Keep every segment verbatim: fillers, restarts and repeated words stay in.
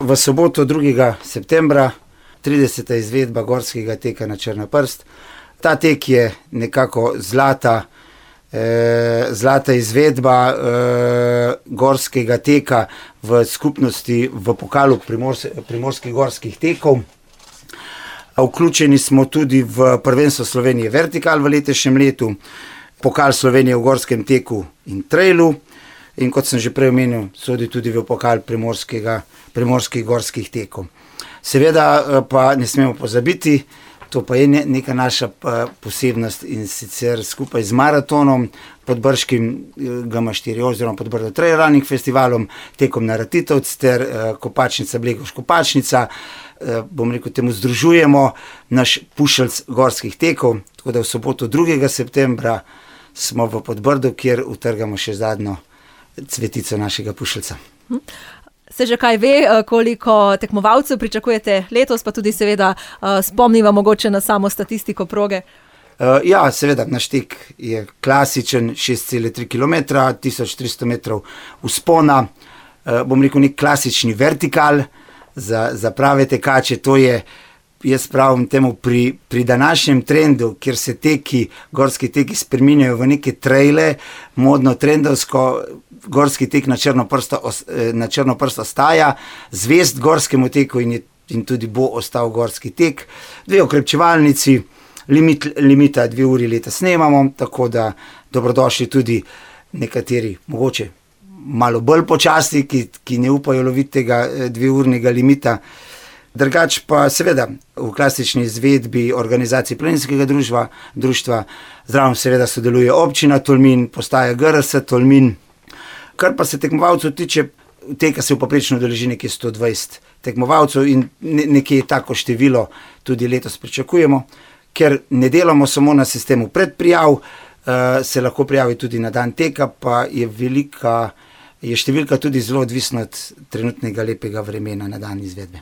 v soboto drugega septembra, trideseta izvedba gorskega teka na Črnoprst. Ta tek je nekako zlata, eh, zlata izvedba eh, gorskega teka v skupnosti v pokalu Primors, primorskih gorskih tekov. Vključeni smo tudi v prvenstvo Slovenije Vertikal v letošnjem letu, pokal Slovenije v gorskem teku in trailu in kot sem že prej omenil, sodi tudi v pokal primorskih gorskih tekov. Seveda pa ne smemo pozabiti, to pa je neka naša posebnost in sicer skupaj z maratonom, podbrškim G M štiri oziroma Podbrdo Trail Running festivalom, tekom na Ratitovec ter Kopačnica Blegoš Kopačnica, bom rekel, temu združujemo naš pušelc gorskih tekov, tako da v soboto drugega septembra smo v Podbrdu, kjer utrgamo še zadnjo cvetico našega pušelca. Se že kaj ve, koliko tekmovalcev pričakujete letos, pa tudi seveda spomniva mogoče na samo statistiko proge? Ja, seveda, naš tek je klasičen, šest celih tri kilometra, tisoč tristo metrov vzpona, bom rekel, nek klasični vertikal za, za prave tekače. To je, jaz pravim temu, pri, pri današnjem trendu, kjer se teki, gorski teki spreminjajo v neke traile, modno trendovsko, gorski tek na Črnoprsto, na Črnoprsto ostaja zvest gorskemu teku in, je, in tudi bo ostal gorski tek. Dve okrepčevalnici, limit, limita dve uri leta snemamo, tako da dobrodošli tudi nekateri, mogoče malo bolj počasni, ki, ki ne upajo loviti tega dveurnega limita. Drugač pa seveda v klasični izvedbi organizaciji planinskega društva, društva zraven seveda sodeluje občina Tolmin, postaja G R S Tolmin. Kar pa se tekmovalcev tiče, teka se v povprečno udeleži nekje sto dvajset tekmovalcev in nekje tako število tudi letos pričakujemo, ker ne delamo samo na sistemu predprijav, se lahko prijavi tudi na dan teka, pa je velika, je številka tudi zelo odvisna od trenutnega lepega vremena na dan izvedbe.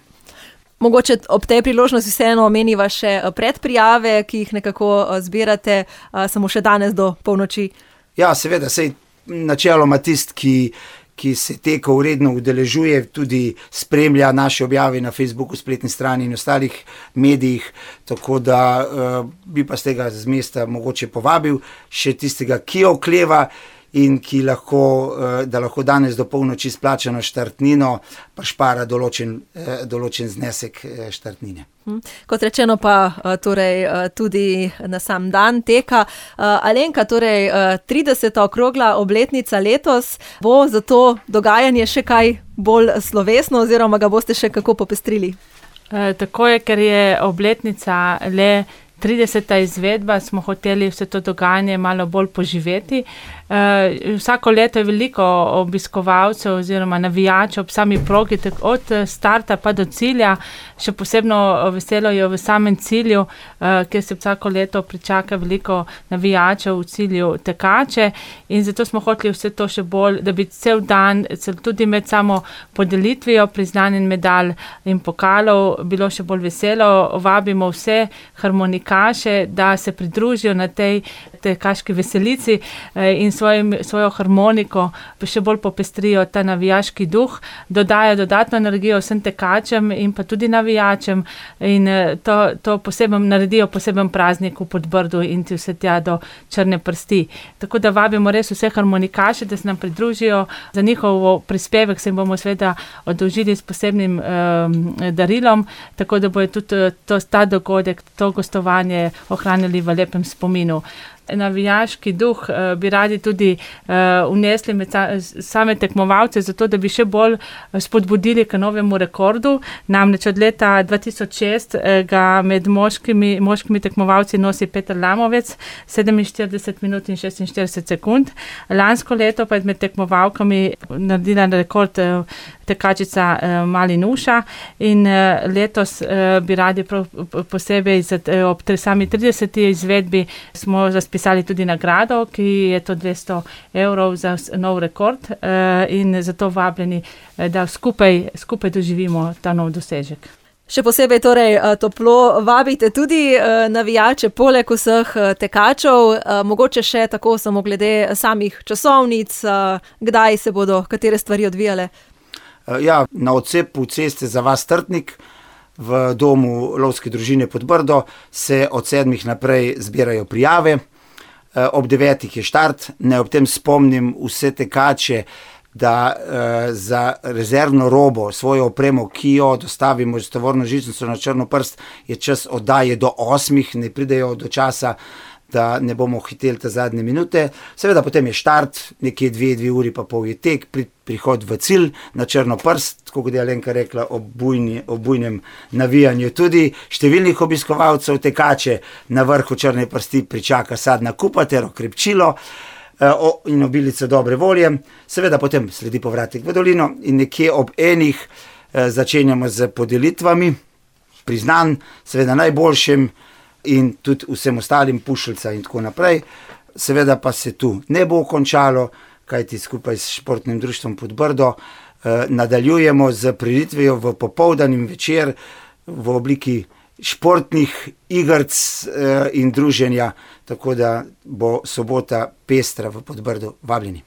Mogoče ob tej priložnosti vseeno omeniva še predprijave, ki jih nekako zbirate samo še danes do polnoči. Ja, seveda, sej načeloma tist, ki, ki se teka uredno udeležuje, tudi spremlja naše objave na Facebooku, spletni strani in ostalih medijih, tako da uh, bi pa z tega z mesta mogoče povabil še tistega, ki okleva in ki lahko, uh, da lahko danes do polnoči splačano štartnino, pa špara določen, uh, določen znesek uh, štartnine. Kot rečeno pa torej tudi na sam dan teka. Alenka, torej trideseta okrogla obletnica letos, bo za to dogajanje še kaj bolj slovesno oziroma ga boste še kako popestrili? E, tako je, ker je obletnica le trideseta izvedba, smo hoteli vse to dogajanje malo bolj poživeti. Uh, vsako leto je veliko obiskovalcev oziroma navijačev ob sami progi, od starta pa do cilja. Še posebno veselo je v samem cilju, uh, kjer se vsako leto pričaka veliko navijačev v cilju tekače in zato smo hoteli vse to še bolj, da bi cel dan, tudi med samo podelitvijo priznanj in medalj in pokalov bilo še bolj veselo. Vabimo vse harmonikaše, da se pridružijo na tej tekaški veselici in svojim, svojo harmoniko še bolj popestrijo ta navijaški duh, dodajo dodatno energijo vsem tekačem in pa tudi navijačem in to, to poseben, naredijo poseben praznik v Podbrdu in ti vse tja do Črne prsti. Tako da vabimo res vse harmonikaše, da se nam pridružijo. Za njihovo prispevek se jim bomo seveda oddolžili s posebnim um, darilom, tako da bojo tudi to, ta dogodek, to gostovanje ohranili v lepem spominu. Navijaški duh uh, bi radi tudi uh, vnesli med same tekmovalce, zato da bi še bolj spodbudili k novemu rekordu. Namreč od leta dva tisoč šest uh, ga med moškimi, moškimi tekmovalci nosi Peter Lamovec, sedeminštirideset minut in šestinštirideset sekund. Lansko leto pa je med tekmovalkami naredila rekord uh, tekačica uh, Mali Nuša in uh, letos uh, bi radi prav posebej za, uh, ob sami trideseti izvedbi smo razpisali tudi nagrado, ki je to dvesto evrov za nov rekord uh, in zato vabljeni, da skupaj, skupaj doživimo ta nov dosežek. Še posebej torej toplo vabite tudi navijače, poleg vseh tekačev, mogoče še tako samo glede samih časovnic, kdaj se bodo katere stvari odvijale? Ja, na odcepu ceste za vas Trtnik v domu lovske družine Podbrdo se od sedmih naprej zbirajo prijave. Ob devetih je štart. Ne ob tem spomnim vse tekače, da eh, za rezervno robo, svojo opremo, ki jo dostavimo z tovorno žičnico na Črnoprst, je čas oddaje do osmih, ne pridejo do časa, da ne bomo hiteli te zadnje minute. Seveda potem je štart, nekje dve, dve uri pa pol je tek, pri, prihod v cilj na Črnoprst, tako kot je Alenka rekla, ob, bujni, ob bujnem navijanju tudi številnih obiskovalcev tekače na vrhu Črne prsti pričaka sadna kupa ter okrepčilo eh, in obilico dobre volje. Seveda potem sledi povratek v dolino in nekje ob enih eh, začenjamo z podelitvami priznanj, seveda najboljšim in tudi vsem ostalim pušilca in tako naprej. Seveda pa se tu ne bo končalo, kajti skupaj s športnim društvom Podbrdo eh, nadaljujemo z prireditvijo v popoldan in večer v obliki športnih igrc eh, in druženja, tako da bo sobota pestra v Podbrdo. Vabljeni.